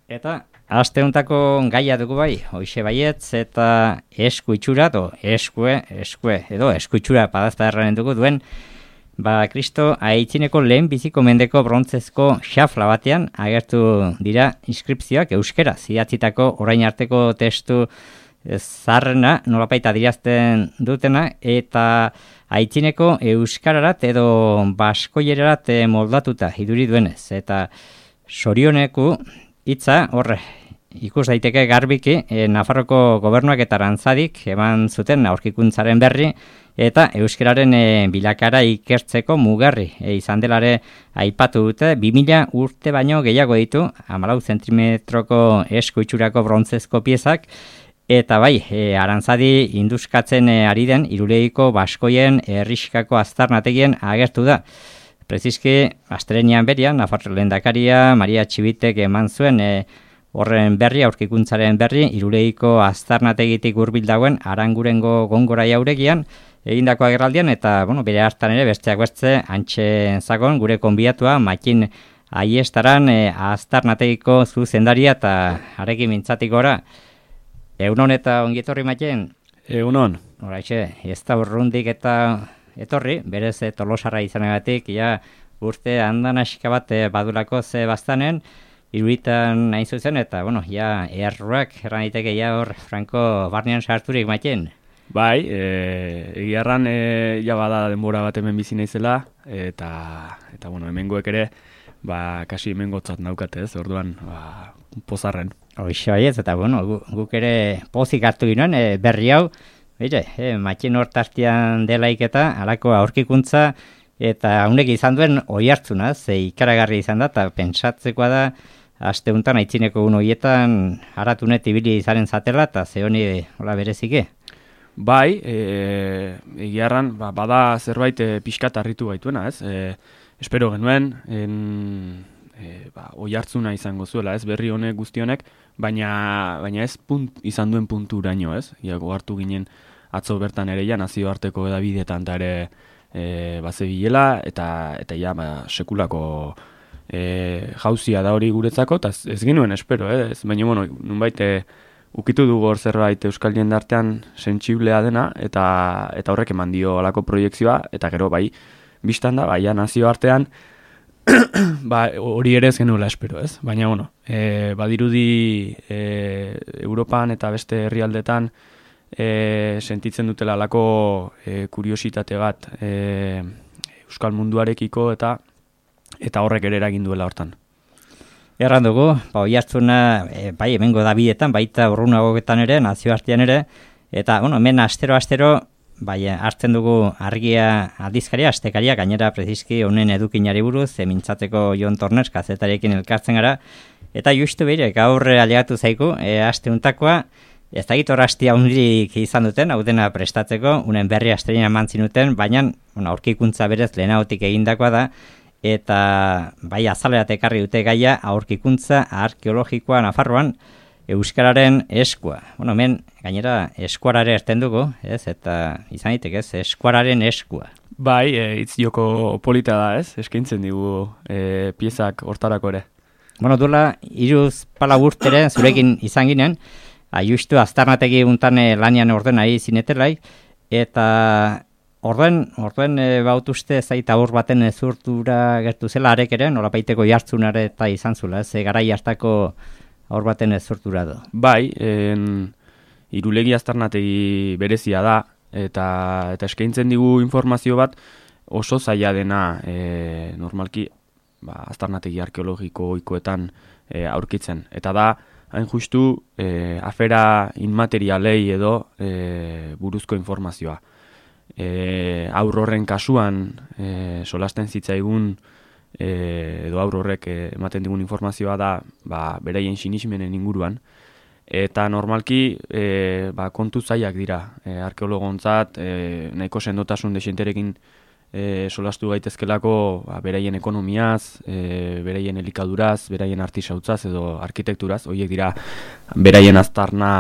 Eta aste hontako gaia dugu bai, hoxe baietz eta esku itxura, esku itxura padazta erranen dugu duen, Kristo aitzineko lehen biziko mendeko brontzezko xafla batean agertu dira inskripzioak euskera, zidatzitako orain arteko testu zarrena nolapaita dirazten dutena, eta aitzineko euskararat edo baskoierarat moldatuta iduri duenez, eta sorioneku hitza horre ikus daiteke garbiki Nafarroko gobernuak eta Arantzadik eman zuten aurkikuntzaren berri eta euskararen bilakara ikertzeko mugarri izan delare aipatu dute. 2000 urte baino gehiago ditu 14 zentimetroko esku itxurako brontzezko piezak, eta bai, Arantzadi induskatzen ari den Irulegiko baskoien herrixkako aztarnategien agertu da. Preziski, astelehenean berian, Nafarro lehendakaria Maria Txibitek eman zuen horren berri, aurkikuntzaren berri, Irulegiko aztarnategitik hurbil dagoen Arangurengo Gongora jauregian egindako agerraldian, eta bere hartan ere besteak beste antxe zagon gure konbiatua Makin Aiestaran aztarnategiko zuzendaria, eta arekin mintzatik gora. Egunon eta ongietorri Makin? Egunon. Horaixe, ez da urrundik eta etorri, berez Tolosarra izanagatik, urte handan asika bat badulako ze bastanen, iruditan nahi zuzen, eta erruak erran daiteke hor Franco barnean sarturik Maiten. Bai, egia erran bada denbora bat hemen bizi naizela, eta hemengoek ere, kasi hemengotzat naukate ez, orduan pozarren. Hoxe baiez, eta guk ere pozik hartu ginoen berri hau, Matin hortartian delaik eta halako aurkikuntza, eta honek izan duen oihartzuna, ze ikaragarri izan da, eta pentsatzekoa da, aste honetan aitzineko hoietan haratunet ibili izanen zatela, eta ze honi berezike. Bai, egiarran, bada zerbait pixkat harritu gaituena, ez? Espero genuen, oihartzuna izango zuela, ez? Berri honek guzti honek, baina ez izan duen punturaino, ez? Hartu ginen atzo bertan ere nazioarteko edabideetan eta ere bazebilela, eta sekulako jauzia da hori guretzako, eta ez genuen espero, ez? Baina, nunbait ukitu dugu hor zerbait euskal jendartean sentsiblea dena, eta horrek eman dio alako proiektzioa, eta gero biztan da, nazioartean, hori ere ez genuela espero, ez? Baina, badirudi Europan eta beste herrialdetan sentitzen dutela alako kuriositate bat euskal munduarekiko, eta horrek ere eragin duela hortan. Erran dugu, oihartzuna hemengo Dabidetan, baita urrunagoetan ere, nazioartean ere, eta hemen astero hartzen dugu argia aldizkaria, astekaria, gainera preziski honen edukinari buruz, mintzatzeko Jon Torners kazetarekin elkartzen gara, eta justu gaur alegatu zaiku, aste untakoa, ez da gitor hastia hundirik izan duten, hau dena prestatzeko, unen berri asterina eman zinuten, baina aurkikuntza berez lehenagotik egindakoa da, eta azalerat ekarri dute gaia aurkikuntza arkeologikoa Nafarroan, euskararen eskua. Hemen gainera eskuarare erten dugu, ez? Eta izan ditek, ez? Eskuararen eskua. Bai, hitz joko polita da, ez? Eskaintzen digu piezak hortarako ere. Duela 3-4 urtere zurekin izan ginen, justu aztarnategi untan lanian ordenai zinetelai, eta Orden bautuzte zaita aur baten ezurtura gertu zela arek ere, nolapaiteko jartzunare eta izan zula, ez garai hartako aur baten ezurtura do. Bai, Irulegi aztarnategi berezia da, eta eskaintzen digu informazio bat oso zaila dena normalki aztarnategi arkeologiko ohikoetan aurkitzen. Eta da, hain justu, afera inmaterialei edo buruzko informazioa. Aur horren kasuan solasten zitzaigun edo aur horrek ematen digun informazioa da beraien sinismenen inguruan, eta normalki kontu zailak dira arkeologontzat, nahiko sendotasun desenterekin solastu gaitezkelako beraien ekonomiaz, beraien elikaduraz, beraien artisautzaz edo arkitekturaz, horiek dira beraien aztarna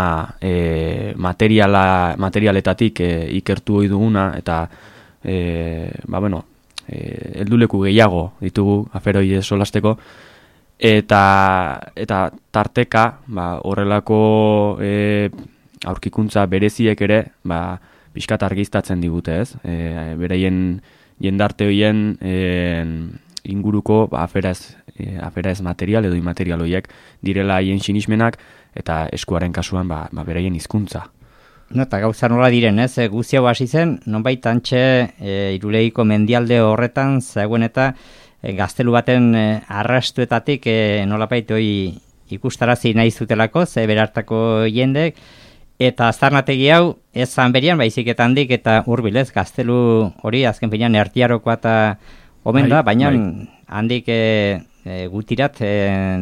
materialetatik ikertu ohi duguna, eta helduleku gehiago ditugu aferoi solasteko, eta tarteka horrelako aurkikuntza bereziek ere pixkat argiztatzen digute, ez? Beraien jendarte horien inguruko afera ez material edo imaterial horiek direla haien sinismenak eta eskuaren kasuan beraien hizkuntza. No, eta gauza nola diren, ez? Guzti hau hasi zen, nonbait antxe Irulegiko mendialde horretan zegoen eta gaztelu baten arrastuetatik nolapait hori ikustarazi nahi zutelako, ze berartako jendek, eta aztarnategi hau ez Zanberian, baizik eta handik eta hurbil, ez? Gaztelu hori azken finean ertiarokoa eta omen da, baina handik gutirat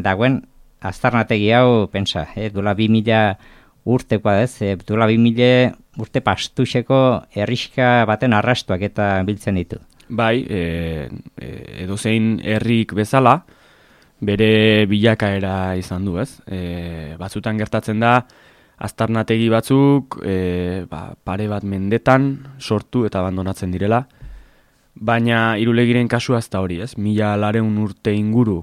dagoen aztarnategi hau, pensa, duela 2000 urtekoa, ez? Duela 2000 urte pastuxeko herrixka baten arrastuak eta biltzen ditu. Bai, edozein herrik bezala, bere bilakaera izan du, ez? Batzutan gertatzen da, aztarnategi batzuk pare bat mendetan sortu eta abandonatzen direla, baina Irulegiren kasua ez da hori, ez? 1200 urte inguru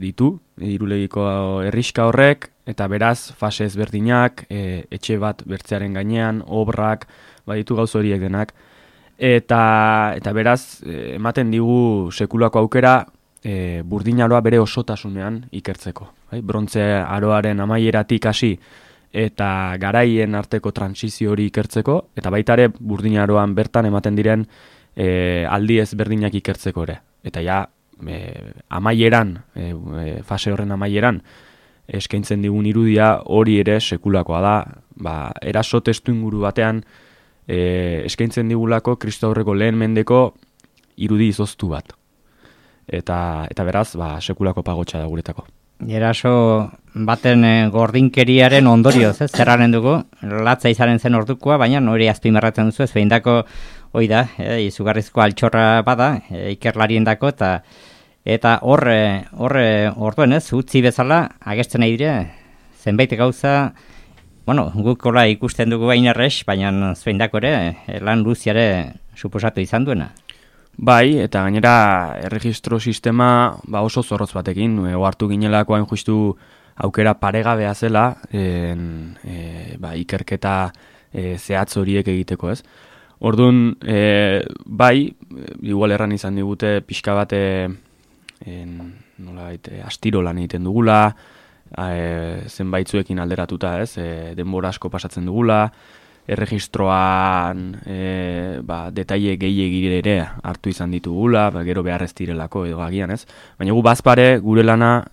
ditu, Irulegiko herrixka horrek, eta beraz fase ezberdinak, etxe bat bertzearen gainean, obrak, baditu gauz horiek denak, eta beraz ematen digu sekulako aukera burdinaroa bere osotasunean ikertzeko. Brontze aroaren amaieratik hasi eta garaien arteko transizio hori ikertzeko, eta baita ere burdinaroan bertan ematen diren aldi ezberdinak ikertzeko ere. Eta ja, amaieran, fase horren amaieran, eskaintzen digun irudia hori ere sekulakoa da, eraso testu inguru batean eskaintzen digulako Kristo aurreko lehen mendeko irudi izoztu bat. Eta beraz, sekulako pagotxa da guretako. Eraso baten gordinkeriaren ondorioz, ez? Zerraren dugu, latza izaren zen ordukoa, baina hori azpimarratzen duzu, ez behindako hoi da, izugarrizko altxorra bada, ikerlarien dako, eta orduen ez, utzi bezala, agertzen nahi dire, zenbait gauza, guk hola ikusten dugu bain errex, baina zuendako ere, lan luziare suposatu izan duena. Bai, eta gainera erregistro sistema oso zorrotz batekin, ohartu ginelako hain justu aukera paregabea zela, ikerketa zehatz horiek egiteko, ez? Orduan, bai, igual erran izan digute pixka bat astiro lan egiten dugula, zenbaitzuekin alderatuta, ez? Denbora asko pasatzen dugula, erregistroan detaile gehiegi ere hartu izan ditugula, gero behar ez direlako edo agian, ez? Baina gu bazpare gure lana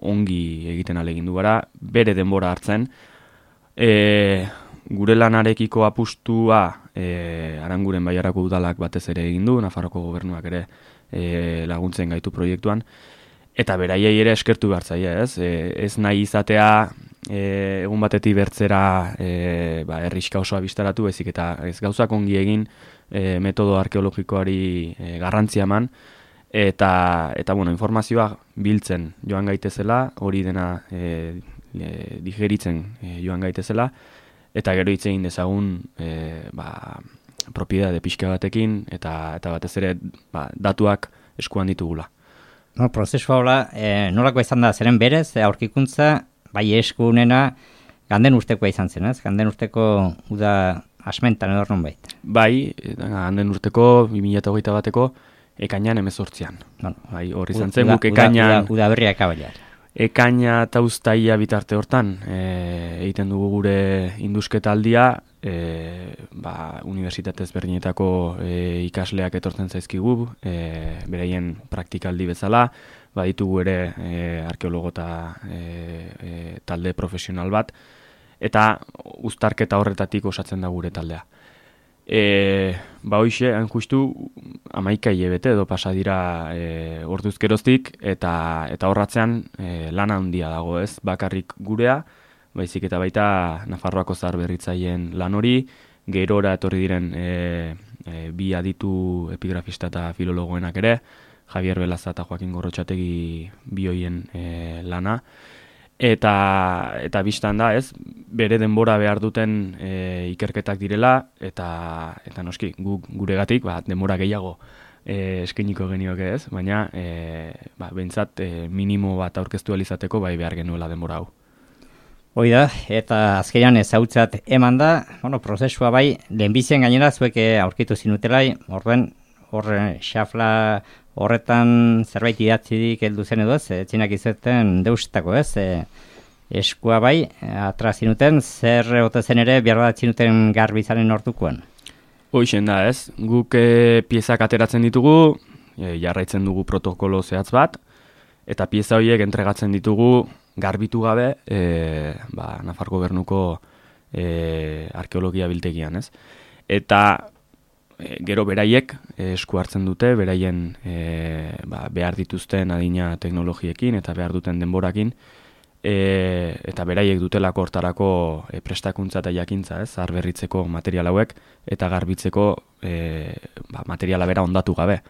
ongi egiten ahalegindu gara, bere denbora hartzen, gure lanarekiko apustua Aranguren Baiarako udalak batez ere egin du, Nafarroko gobernuak ere laguntzen gaitu proiektuan, eta beraiei ere eskertu behar zaia, ez? Ez nahi izatea egun batetik bertzera herrixka osoa bistaratu, ezik eta ez gauzak ongi egin metodo arkeologikoari garrantzia eman, eta informazioa biltzen joan gaitezela, hori dena digeritzen joan gaitezela, eta gero hitz egin dezagun propiedade pixka batekin, eta batez ere datuak eskuan ditugula. Prozesua hola, nolako izan da, zeren berez, aurkikuntza, bai eskunena, ganden urtekoa izan zen, ez? Ganden urteko uda asmentan edo nonbait. Bai, ganden urteko 2021 bateko ekainan 18an. Bai, hori izan zen, guk ekainan... Uda berria ekabailar. Ekaina eta uztaia bitarte hortan egiten dugu gure indusketa aldia, unibertsitatez berdinetako ikasleak etortzen zaizkigu, beraien praktikaldi bezala, ditugu ere arkeologo eta talde profesional bat, eta uztarketa horretatik osatzen da gure taldea. Hoxe, hain justu, 11 hilabete edo pasa dira orduz geroztik, eta horratzean lana handia dago, ez? Bakarrik gurea, baizik eta baita Nafarroako zaharberritzaileen lan hori, gerora etorri diren bi aditu epigrafista eta filologoenak ere, Javier Belaza eta Joaquin Gorrotxategi bioien lana, eta bistan da, ez, bere denbora behar duten ikerketak direla, eta noski, guregatik denbora gehiago eskeniko genioke ez, baina behintzat minimo bat aurkeztu alizateko bai behar genuela denbora hau. Hoi da, eta azkenean ezautzat eman da, prozesua bai, lehenbizien gainera zuek aurkitu zinutelai, horren xafla horretan zerbait idatzirik heldu zen edo ez, etxinak izuten deustako ez, eskua bai, atra zinuten, zer ote zen ere behar bat zinuten garbizaren ordukoan? Hoixen da ez, guk piezak ateratzen ditugu, jarraitzen dugu protokolo zehatz bat, eta pieza horiek entregatzen ditugu garbitu gabe Nafar Gobernuko arkeologia biltegian, ez? Eta gero beraiek esku hartzen dute, beraien behar dituzten adina teknologiekin eta behar duten denborakin, eta beraiek dutelako hortarako prestakuntza eta jakintza, ez? Arberritzeko material hauek eta garbitzeko materiala bera ondatu gabe.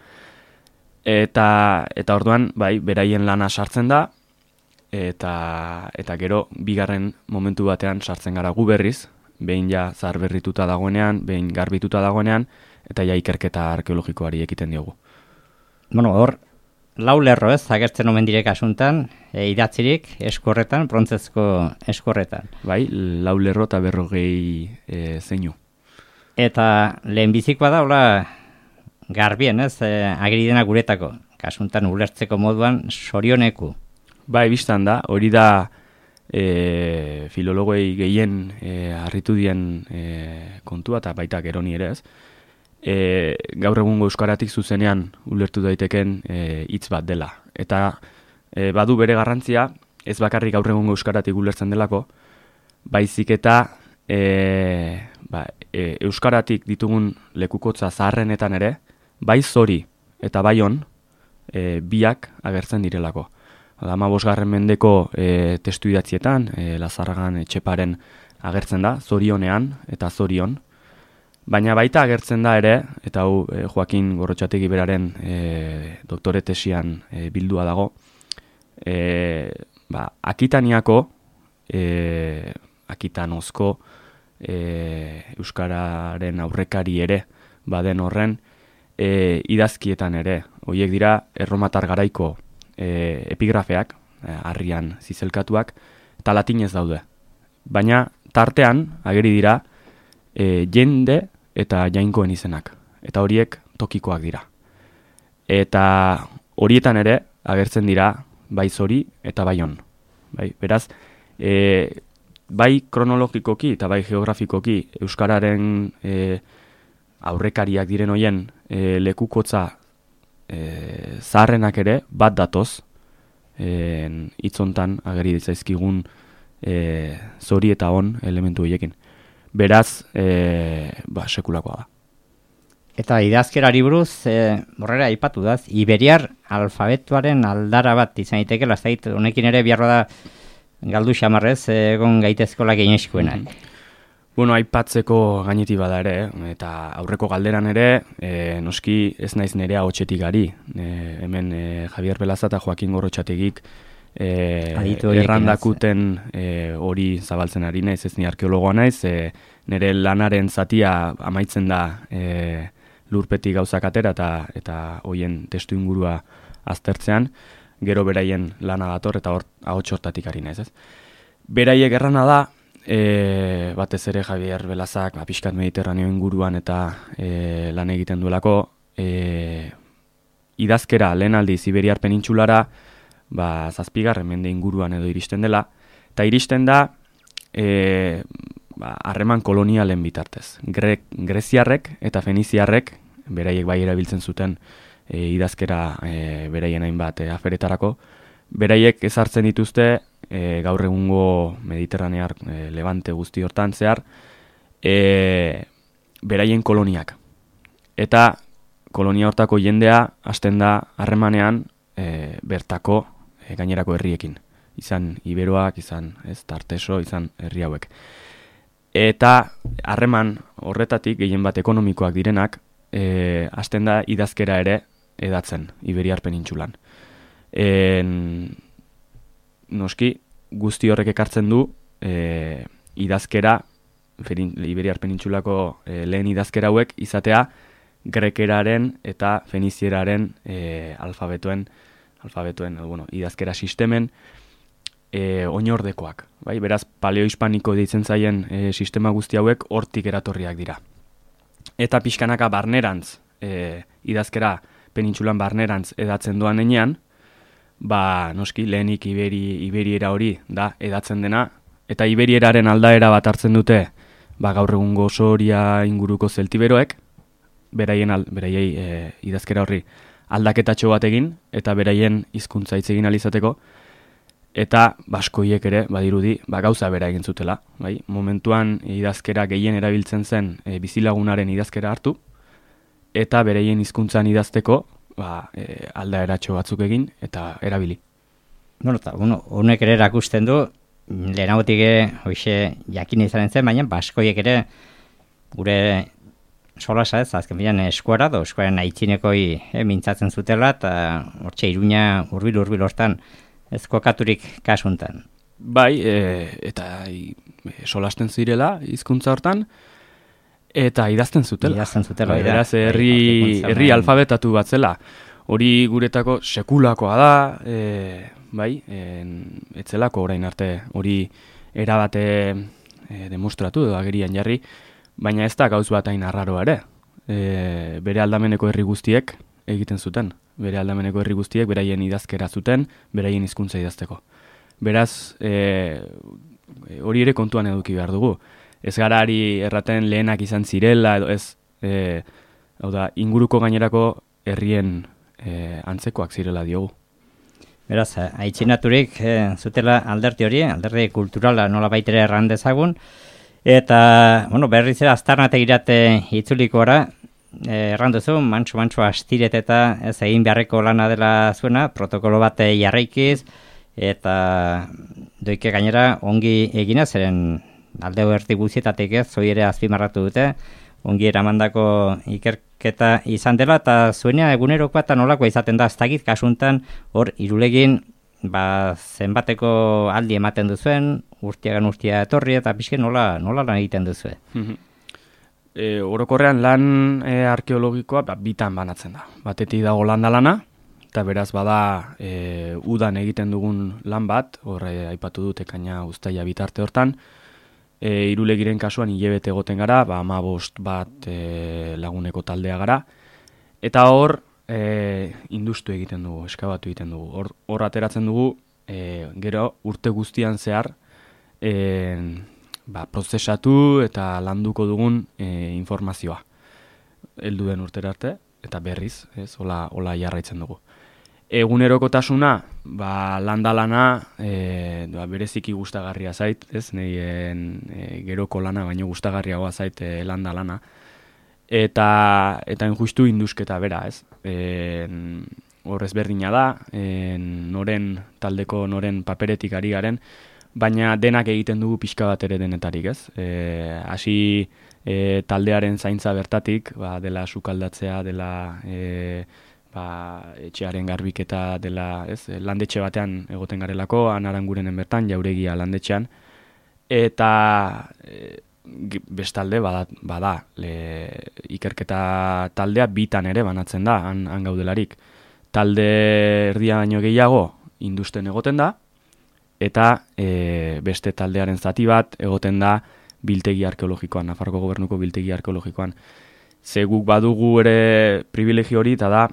Eta orduan, bai, beraien lana sartzen da, eta gero bigarren momentu batean sartzen gara gu berriz, behin ja zaharberrituta dagoenean, behin garbituta dagoenean, eta ja ikerketa arkeologikoari ekiten diogu. Hor, lau lerro ez, agertzen omen direk asuntan, idatzirik eskorretan, brontzezko eskorretan. Bai, lau lerro eta 40 zeinu. Eta lehenbizikoa da, hola, garbien ez, ageri dena guretako, kasuntan ulertzeko moduan sorioneku. Bai, biztan da, hori da filologoi gehien harritu dien kontua, eta baita geroni ere ez. Gaur egungo euskaratik zuzenean ulertu daiteken hitz bat dela. Eta badu bere garrantzia, ez bakarrik gaur egungo euskaratik ulertzen delako, baizik eta euskaratik ditugun lekukotza zaharrenetan ere, bai zori eta bai on biak agertzen direlako. 15. mendeko testu idatzietan, Lazarragan Etxeparen agertzen da, zorionean eta zorion. Baina baita agertzen da ere, eta hau Joakin Gorrotxategi beraren doktore tesian bildua dago, Akitaniako, Akitanozko euskararen aurrekari ere baden horren idazkietan ere. Horiek dira erromatar garaiko epigrafeak, harrian zizelkatuak, eta latinez daude. Baina tartean ageri dira jende eta jainkoen izenak. Eta horiek tokikoak dira. Eta horietan ere agertzen dira bai zori eta bai on. Beraz, bai kronologikoki eta bai geografikoki euskararen aurrekariak diren hoien lekukotza zaharrenak ere bat datoz hitzontan ageri ditzaizkigun zori eta on elementu horiekin. Beraz, sekulakoa da. Eta idazkerari buruz, horrela aipatu da, iberiar alfabetuaren aldara bat izan daiteke, honekin ere biharra da galdu xamarrez egon gaitezkola gehineskuenak. Aipatzeko gaineti bada ere, eta aurreko galderan ere, noski ez naiz nerea hotxetik ari. Hemen Javier Belaza eta Joakin Gorrotxategik errandakuten hori zabaltzen ari naiz, ez ni arkeologoa naiz, nire lanaren zatia amaitzen da lurpetik gauzak atera eta hoien testu ingurua aztertzean, gero beraien lana dator eta ahots hortatik ari naiz, ez? Beraiek errana da, batez ere Javier Belazak pixkat Mediterraneo inguruan eta lan egiten duelako, idazkera lehen aldiz Iberiar penintsulara 7. mende inguruan edo iristen dela, eta iristen da harreman kolonialen bitartez. Greziarrek eta Feniziarrek, beraiek bai erabiltzen zuten idazkera beraien hainbat aferetarako, beraiek ezartzen dituzte gaur egungo Mediterranear Levante guzti hortan zehar beraien koloniak. Eta kolonia hortako jendea hasten da harremanean bertako gainerako herriekin. Izan Iberoak, izan Tarteso, izan herri hauek. Eta harreman horretatik gehien bat ekonomikoak direnak hasten da idazkera ere edatzen Iberiar penintsulan. Noski, guzti horrek ekartzen du idazkera, Iberiar penintsulako lehen idazkera hauek izatea grekeraren eta fenizieraren alfabetuen, idazkera sistemen oinordekoak. Bai? Beraz, paleohispaniko deitzen zaien sistema guzti hauek hortik eratorriak dira. Eta pixkanaka barnerantz, idazkera penintsulan barnerantz edatzen doan enean, noski, lehenik iberiera hori da edatzen dena, eta iberieraren aldaera bat hartzen dute, gaur egungo Soria inguruko zeltiberoek, beraiei idazkera horri aldaketatxo bat egin, eta beraien hizkuntza hitz egin alizateko, eta baskoiek ere, badirudi, gauza bera egin zutela. Bai? Momentuan idazkera gehien erabiltzen zen bizilagunaren idazkera hartu, eta beraien hizkuntzan idazteko aldaeratxo batzuk egin, eta erabili. Honek ere erakusten du, lehenagotik hoxe jakin izanen zen, baina baskoiek ere gure solasa ez, azken bilan eskuara, eskuaren aitzinekoi mintzatzen zutela, eta hortxe Iruña urbil hortan ez kokaturik kasuntan. Bai, eta solasten zirela hizkuntza hortan, eta idazten zutela. Beraz, herri alfabetatu bat zela. Hori guretako sekulakoa da, etzelako orain arte hori erabate demostratu edo agerian jarri, baina ez da gauz bat hain arraroa ere. Bere aldameneko herri guztiek egiten zuten. Bere aldameneko herri guztiek beraien idazkera zuten, beraien hizkuntza idazteko. Beraz, hori ere kontuan eduki behar dugu. Ez gara ari erraten lehenak izan zirela, edo ez, inguruko gainerako herrien antzekoak zirela diogu. Beraz, aitzinaturik zutela alderdi hori, alderdi kulturala nola baitere erran dezagun, eta, berriz ere aztarnate irate itzulikora, erranduzu, mantxo astiret eta ez egin beharreko lana dela zuena, protokolo bat jarraikiz, eta doike gainera ongi egina, zeren aldeo erdi guzietatik ez, zoi ere azpimarratu dute, ongi eramandako ikerketa izan dela, eta zuena egunerokoa eta nolakoa izaten da, ez dakit kasuntan, hor irulegin, zenbateko aldi ematen duzuen, urtiagan urtia etorri, eta pixke nola lan egiten duzue. Orokorrean lan arkeologikoa bitan banatzen da. Batetik dago landa-lana, eta beraz bada udan egiten dugun lan bat, horre aipatu dut ekaina uztaila bitarte hortan, Irulegiren kasuan hilabete egoten gara, 15 bat laguneko taldea gara, eta hor industu egiten dugu, eskabatu egiten dugu. Hor ateratzen dugu, gero urte guztian zehar, prozesatu eta landuko dugun informazioa. Heldu den urtera arte, eta berriz, hola jarraitzen dugu. Egunerokotasuna, landa-lana bereziki gustagarria zait, ez, nahien geroko lana, baino gustagarriagoa zait landa-lana. Eta justu indusketa bera, ez. Horrez berdina da, taldeko noren paperetik ari garen, baina denak egiten dugu pixka bat ere denetarik, ez. Hasi taldearen zaintza bertatik, dela sukaldatzea, dela etxearen garbiketa dela, ez, landetxe batean egoten garelako, Anarangurenen bertan, Jauregia landetxean, eta bestalde bada ikerketa taldea bitan ere banatzen da, han gaudelarik. Talde erdia baino gehiago industen egoten da, eta beste taldearen zati bat egoten da biltegi arkeologikoan, Nafarroko Gobernuko biltegi arkeologikoan. Ze guk badugu ere privilegio hori, eta da,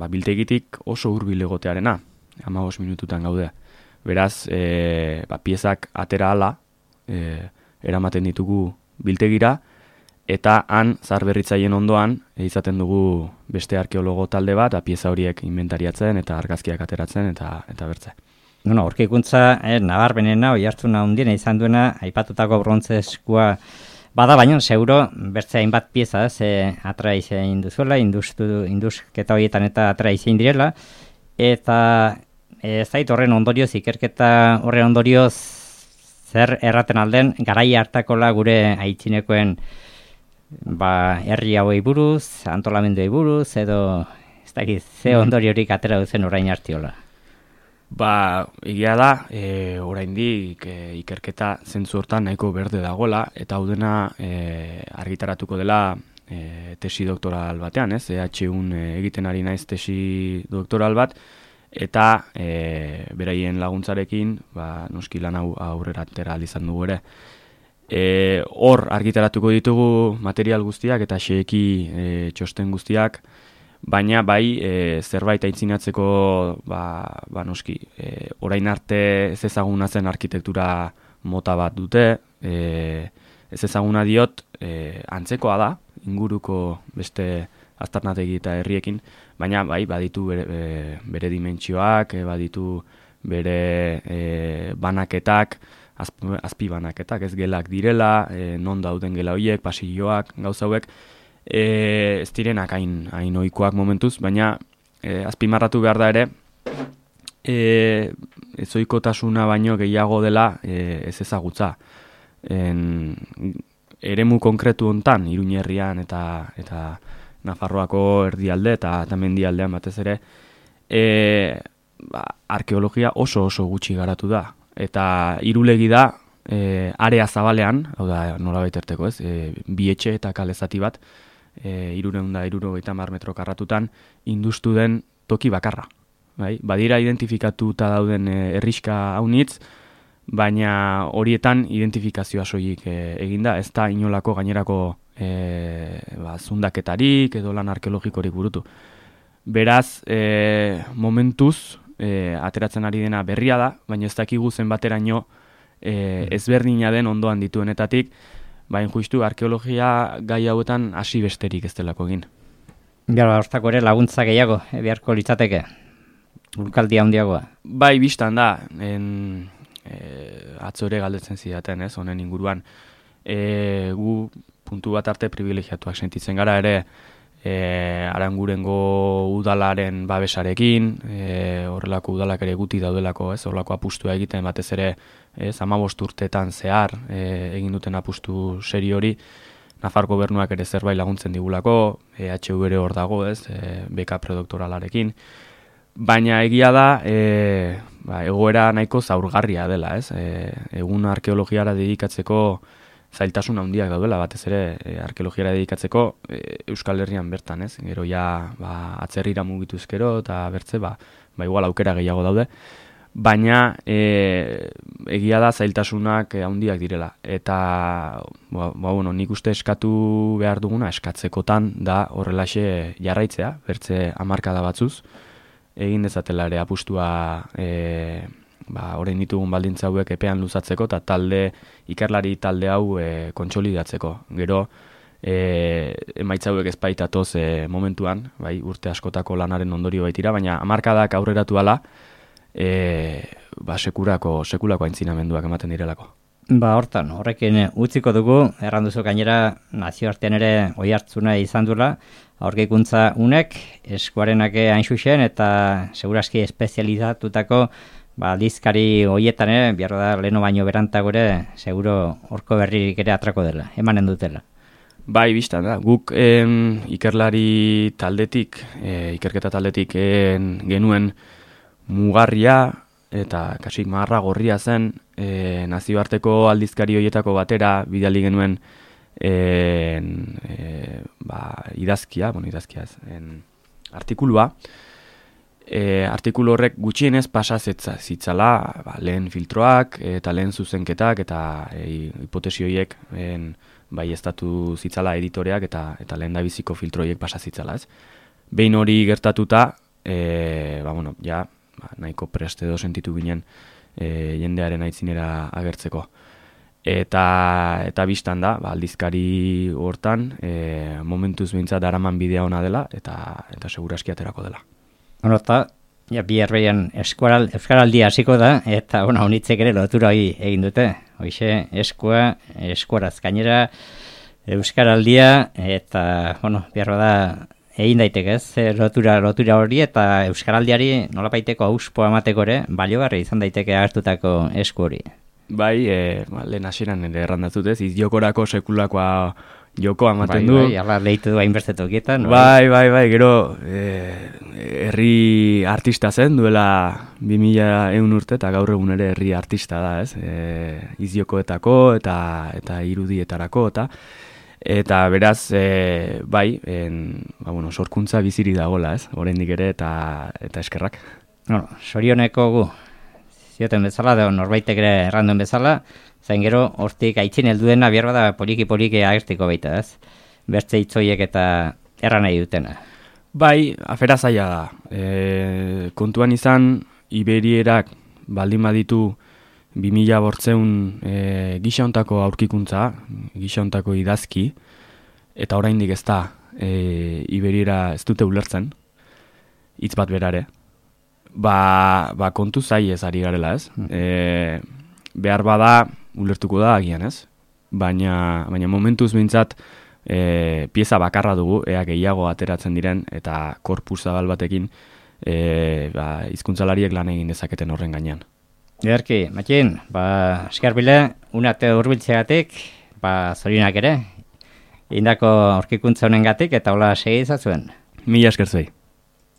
biltegitik oso hurbil egotearena, 15 minututan gaude. Beraz, piezak atera ala, eramaten ditugu biltegira, eta han zarberritzaien ondoan izaten dugu beste arkeologo talde bat, pieza horiek inventariatzen eta argazkiak ateratzen eta bertze. Aurkikuntza nabarmenena, oihartzuna handiena izan duena, aipatutako brontzeskua bada, baina seguro bertze hainbat pieza atra izan duzuela, indusketa horietan eta atra izan direla, eta ez zait horren ondorioz, ikerketa horren ondorioz zer erraten alden, garai hartakola gure aitzinekoen herri hauei buruz, antolamenduei buruz, edo ez dakit, ze ondoriorik atera duzen orain hartiola. Egia da, oraindik ikerketa zentzu hortan nahiko berde dagoela, eta hau dena argitaratuko dela tesi doktoral batean, ez? EHUn egiten ari naiz tesi doktoral bat, eta beraien laguntzarekin, noski lan hau aurrera atera izan dugu ere. Hor argitaratuko ditugu material guztiak eta xeeki txosten guztiak, baina bai zerbait aintzinatzeko noski orain arte ez ezaguna zen arkitektura mota bat dute, ez ezaguna diot antzekoa da inguruko beste aztarnategi eta herriekin, baina bai baditu bere dimentsioak, baditu bere banaketak, azpi banaketak, ez gelak direla, non dauden gela horiek, pasilloak, gauza hauek, ez direnak hain ohikoak momentuz, baina azpimarratu behar da ere, ezoikotasuna baino gehiago dela ez ezagutza. Eremu konkretu hontan, Iruñerrian eta Nafarroako erdialde eta mendialdean batez ere, arkeologia oso gutxi garatu da. Eta irulegi da, area zabalean, hau da nolabait erteko ez, bi etxe eta kale zati bat, 350 metro karratutan, industu den toki bakarra. Bai? Badira identifikatuta dauden herrixka haunitz, baina horietan identifikazioa soilik eginda, ez da inolako gainerako zundaketarik edo lan arkeologikorik burutu. Beraz, momentuz, ateratzen ari dena berria da, baina ez dakigu zenbateraino ezberdina den ondoan dituenetatik, baina justu arkeologia gai hauetan hasi besterik ez delako egin. Gara, hortako ere laguntza gehiago, beharko litzateke, urkaldia handiagoa. Bai, biztan da, atzo ere galdetzen zidaten, ez, honen inguruan. Gu puntu bat arte privilegiatuak sentitzen gara ere, Arangurengo udalaren babesarekin, horrelako udalak ere guti daudelako, ez, horrelako apustua egiten batez ere, 15 urteetan zehar egin duten apustu seri hori, Nafar gobernuak ere zerbait laguntzen digulako, EHU ere hor dago, ez, beka predoktoralarekin, baina egia da, egoera nahiko zaurgarria dela, ez, egun arkeologiara dedikatzeko zailtasun handiak daudela, batez ere arkeologiara dedikatzeko Euskal Herrian bertan, ez? Gero ja atzerrira mugituz gero eta bertze, igual aukera gehiago daude, baina egia da zailtasunak handiak direla. Eta nik uste eskatu behar duguna, eskatzekotan da horrelaxe jarraitzea, bertze hamarkada batzuz, egin dezatela ere apustua orain ditugun baldintza hauek epean luzatzeko eta ikerlari talde hau kontsolidatzeko. Gero, emaitza hauek ezpaitatoz momentuan, bai, urte askotako lanaren ondorio baitira, baina hamarkadak aurreratu ala, sekulako aintzinamenduak ematen direlako. Hortan, horrekin utziko dugu, erranduzu gainera nazioartean ere oihartzuna izan duela, aurkikuntza unek, eskuarenak hain zuzen eta segurazki espezializatutako aldizkari horietan ere, biarro da leheno baino berantago ere, seguro horko berririk ere atrako dela, emanen dutela. Bai, biztan da, guk ikerlari taldetik, ikerketa taldetik genuen mugarria eta kasik marra gorria zen nazioarteko aldizkari horietako batera bidali genuen idazkia ez, artikulua. Artikulu horrek gutxienez pasa zitzala lehen filtroak eta lehen zuzenketak eta hipotesi horiek bai estatu zitzala editoreak eta lehen dabiziko filtroiek pasa zitzala, ez? Behin hori gertatuta, nahiko preste edo sentitu ginen jendearen aitzinera agertzeko. Eta biztan da, aldizkari hortan, momentuz behintzat daraman bidea ona dela eta seguraski aterako dela. Eta, bi herbeian euskaraldia hasiko da, eta honitzek ere lotura hori egin dute. Hoxe, eskuaraz gainera euskaraldia, eta, biarro da, egin daiteke ez, lotura hori, eta euskaraldiari nolabaiteko auspoa emateko ere, baliogarri izan daiteke hartutako esku hori. Bai, lehen hasieran ere errandatzut ez, izjokorako sekulakoa jokoa ematen du. Bai, ala lehitu du hainbertetokietan. Bai, gero herri artista zen, duela 2100 urte, eta gaur egun ere herri artista da, ez? Izjokoetako eta irudietarako, Eta beraz, bai, sorkuntza biziri dagoela, ez? Oraindik ere eta eskerrak. No, sorioneko gu, zioten bezala, da norbaitek ere erranduen bezala, zain gero, hortik aitzin helduena bierba da poliki agertiko baita, ez? Bertze hitzoiek eta erran nahi dutena. Bai, afera zaila da. Kontuan izan, Iberierak baldin baditu 2000 gisa hontako aurkikuntza, gisa hontako idazki, eta oraindik ez da Iberiera ez dute ulertzen, hitz bat berare. Ba kontu zai ez ari garela, ez? Behar bada ulertuko da agian, ez? Baina momentuz behintzat pieza bakarra dugu, ea gehiago ateratzen diren, eta korpus zabal batekin hizkuntzalariek lan egin dezaketen horren gainean. Ederki, Matxin, eskarbile, unate urbiltzegatik, zorionak ere, indako aurkikuntza honengatik eta hola segi izazuen. Mila esker zuei.